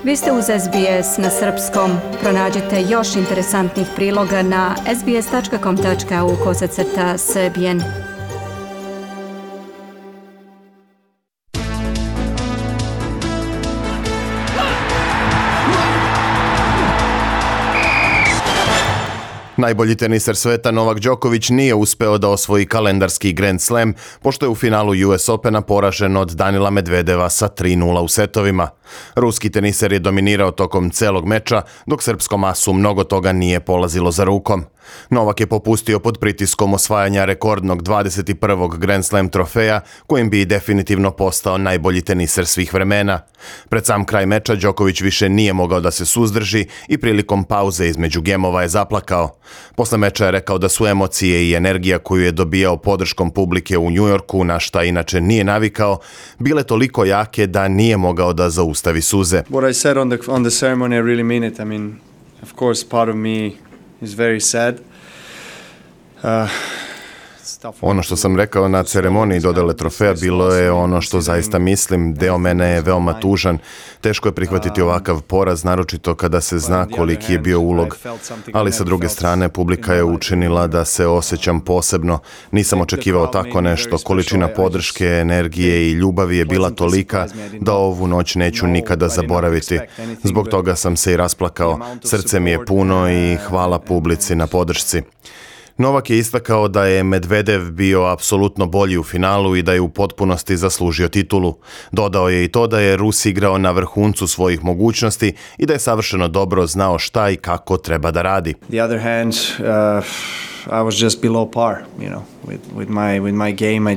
Vi ste uz SBS na srpskom. Pronađite još interesantnih priloga na sbs.com.au/srbijen. Najbolji teniser sveta Novak Đoković nije uspeo da osvoji kalendarski Grand Slam, pošto je u finalu US Opena poražen od Danila Medvedeva sa 3:0 u setovima. Ruski teniser je dominirao tokom celog meča, dok srpskom asu mnogo toga nije polazilo za rukom. Novak je popustio pod pritiskom osvajanja rekordnog 21. Grand Slam trofeja, kojim bi definitivno postao najbolji teniser svih vremena. Pred sam kraj meča Đoković više nije mogao da se suzdrži i prilikom pauze između gemova je zaplakao. Posle meča je rekao da su emocije i energija koju je dobijao podrškom publike u Njujorku, na šta inače nije navikao, bile toliko jake da nije mogao da zaustavi suze. What I said on the ceremony, I really mean it. I mean, of course, part of me is very sad. Ono što sam rekao na ceremoniji dodele trofeja bilo je ono što zaista mislim. Deo mene je veoma tužan. Teško je prihvatiti ovakav poraz, naročito kada se zna koliki je bio ulog. Ali sa druge strane, publika je učinila da se osjećam posebno. Nisam očekivao tako nešto. Količina podrške, energije i ljubavi je bila tolika da ovu noć neću nikada zaboraviti. Zbog toga sam se i rasplakao. Srce mi je puno i hvala publici na podršci. Novak je istakao da je Medvedev bio apsolutno bolji u finalu i da je u potpunosti zaslužio titulu. Dodao je i to da je Rus igrao na vrhuncu svojih mogućnosti i da je savršeno dobro znao šta i kako treba da radi. The other hand, I was just below par, with my game.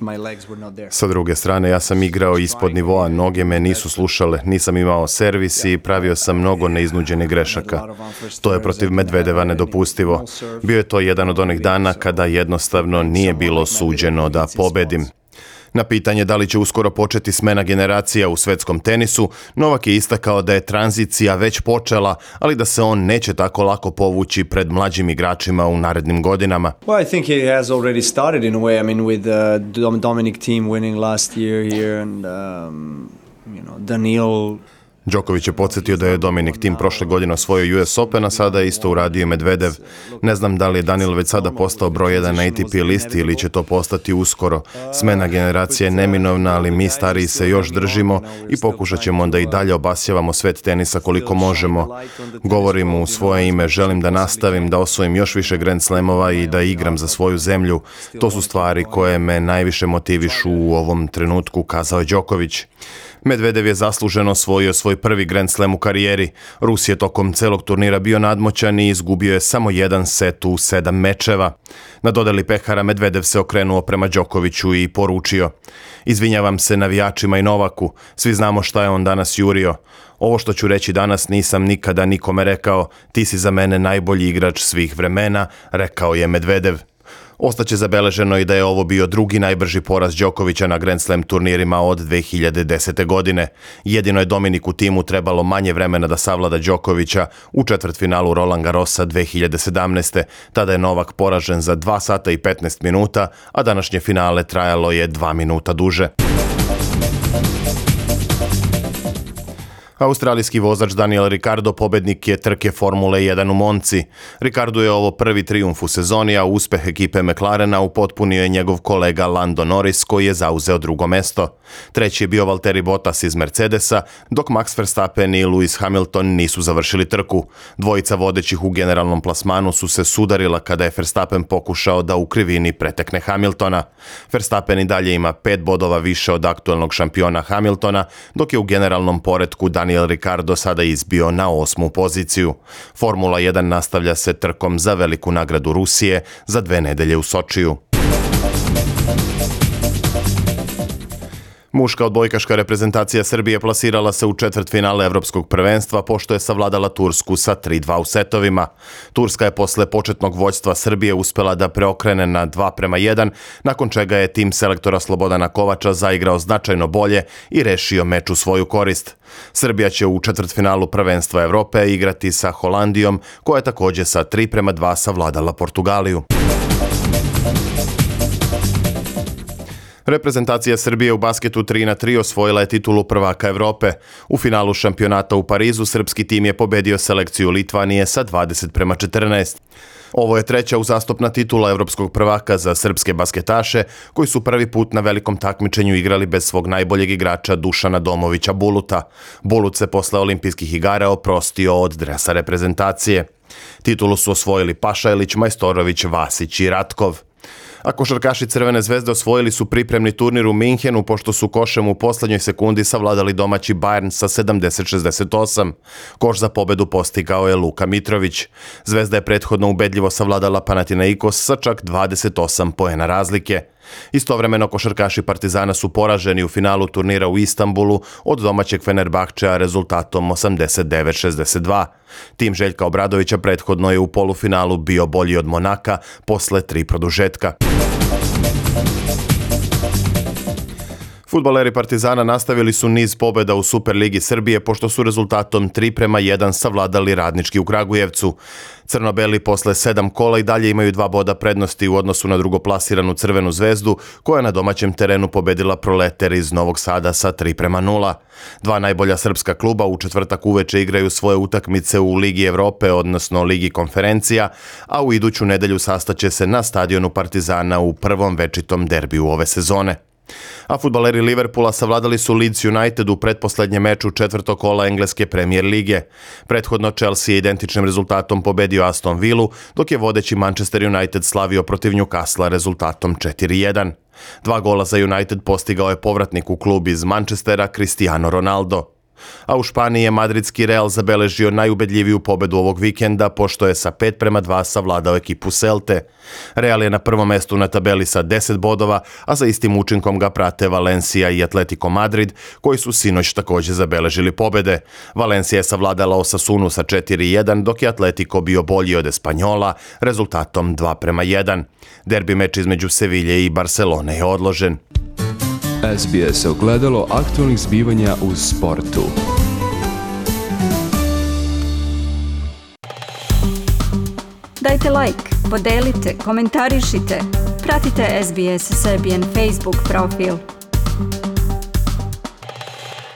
My legs were not there. Sa druge strane, ja sam igrao ispod nivoa, noge me nisu slušale, nisam imao servis i pravio sam mnogo neiznuđenih grešaka. To je protiv Medvedeva nedopustivo. Bio je to jedan od onih dana kada jednostavno nije bilo suđeno da pobedim. Na pitanje da li će uskoro početi smena generacija u svetskom tenisu, Novak je istakao da je tranzicija već počela, ali da se on neće tako lako povući pred mlađim igračima u narednim godinama. Well, I think it has already started in a way. I mean, with Dominic Thiem winning last year here and Daniil. Đoković je podsjetio da je Dominic Thiem prošle godine osvojio US Open, a sada je isto uradio Medvedev. Ne znam da li je Danil već sada postao broj 1 na ATP listi ili će to postati uskoro. Smena generacije je neminovna, ali mi stariji se još držimo i pokušat ćemo da i dalje obasjavamo svet tenisa koliko možemo. Govorim u svoje ime, želim da nastavim, da osvojim još više Grand Slamova i da igram za svoju zemlju. To su stvari koje me najviše motivišu u ovom trenutku, kazao je Đoković. Medvedev je zasluženo osvojio svoj prvi Grand Slam u karijeri. Rus je tokom celog turnira bio nadmoćan i izgubio je samo jedan set u 7 mečeva. Na dodeli pehara Medvedev se okrenuo prema Đokoviću i poručio: "Izvinjavam se navijačima i Novaku, svi znamo šta je on danas jurio. Ovo što ću reći danas nisam nikada nikome rekao, ti si za mene najbolji igrač svih vremena", rekao je Medvedev. Ostaće zabeleženo i da je ovo bio drugi najbrži poraz Đokovića na Grand Slam turnirima od 2010. godine. Jedino je Dominiku Thiemu trebalo manje vremena da savlada Đokovića u četvrtfinalu Roland Garrosa 2017. Tada je Novak poražen za 2 sata i 15 minuta, a današnje finale trajalo je 2 minuta duže. Australijski vozač Daniel Ricciardo pobednik je trke Formule 1 u Monci. Ricciardo je ovo prvi trijumf u sezoni, a uspeh ekipe McLarena upotpunio je njegov kolega Lando Norris, koji je zauzeo drugo mesto. Treći je bio Valtteri Bottas iz Mercedesa, dok Max Verstappen i Lewis Hamilton nisu završili trku. Dvojica vodećih u generalnom plasmanu su se sudarila kada je Verstappen pokušao da u krivini pretekne Hamiltona. Verstappen i dalje ima 5 bodova više od aktuelnog šampiona Hamiltona, dok je u generalnom poretku Daniel Ricciardo sada izbio na 8. poziciju. Formula 1 nastavlja se trkom za veliku nagradu Rusije za 2 nedelje u Sočiju. Muška odbojkaška reprezentacija Srbije plasirala se u četvrtfinale Evropskog prvenstva pošto je savladala Tursku sa 3:2 u setovima. Turska je posle početnog vođstva Srbije uspela da preokrene na 2:1, nakon čega je tim selektora Slobodana Kovača zaigrao značajno bolje i rešio meč u svoju korist. Srbija će u četvrtfinalu prvenstva Evrope igrati sa Holandijom, koja je također sa 3:2 savladala Portugaliju. Reprezentacija Srbije u basketu 3-3 osvojila je titulu prvaka Evrope. U finalu šampionata u Parizu srpski tim je pobedio selekciju Litvanije sa 20-14. Ovo je treća uzastopna titula evropskog prvaka za srpske basketaše, koji su prvi put na velikom takmičenju igrali bez svog najboljeg igrača Dušana Domovića Buluta. Bulut se posle olimpijskih igara oprostio od dresa reprezentacije. Titulu su osvojili Pašajlić, Majstorović, Vasić i Ratkov. A košarkaši Crvene zvezde osvojili su pripremni turnir u Minhenu pošto su košem u poslednjoj sekundi savladali domaći Bayern sa 70-68. Koš za pobedu postigao je Luka Mitrović. Zvezda je prethodno ubedljivo savladala Panathinaikos sa čak 28 poena razlike. Istovremeno košarkaši Partizana su poraženi u finalu turnira u Istanbulu od domaćeg Fenerbahčea rezultatom 89-62. Tim Željka Obradovića prethodno je u polufinalu bio bolji od Monaka posle 3 produžetka. Fudbaleri Partizana nastavili su niz pobjeda u Superligi Srbije pošto su rezultatom 3-1 savladali Radnički u Kragujevcu. Crno-beli posle 7 kola i dalje imaju 2 boda prednosti u odnosu na drugoplasiranu Crvenu zvezdu, koja je na domaćem terenu pobedila Proleter iz Novog Sada sa 3-0. Dva najbolja srpska kluba u četvrtak uveče igraju svoje utakmice u Ligi Evrope, odnosno Ligi konferencija, a u iduću nedelju sastaće se na stadionu Partizana u prvom večitom derbiju ove sezone. A fudbaleri Liverpoola savladali su Leeds United u pretposlednjem meču četvrtog kola engleske Premier lige. Prethodno Chelsea je identičnim rezultatom pobedio Aston Villu, dok je vodeći Manchester United slavio protiv Newcastle rezultatom 4-1. 2 gola za United postigao je povratnik u klub iz Manchestera Cristiano Ronaldo. A u Španiji je madridski Real zabeležio najubedljiviju pobedu ovog vikenda pošto je sa 5-2 savladao ekipu Celte. Real je na prvom mestu na tabeli sa 10 bodova, a za istim učinkom ga prate Valencia i Atletico Madrid, koji su sinoć također zabeležili pobede. Valencia je savladala Osasunu sa 4-1, dok je Atletico bio bolji od Espanjola rezultatom 2-1. Derbi meč između Sevilje i Barcelone je odložen. SBS ogledalo aktualnih zbivanja u sportu. Dajte like, podelite, komentarišite. Pratite SBS Serbian Facebook profil.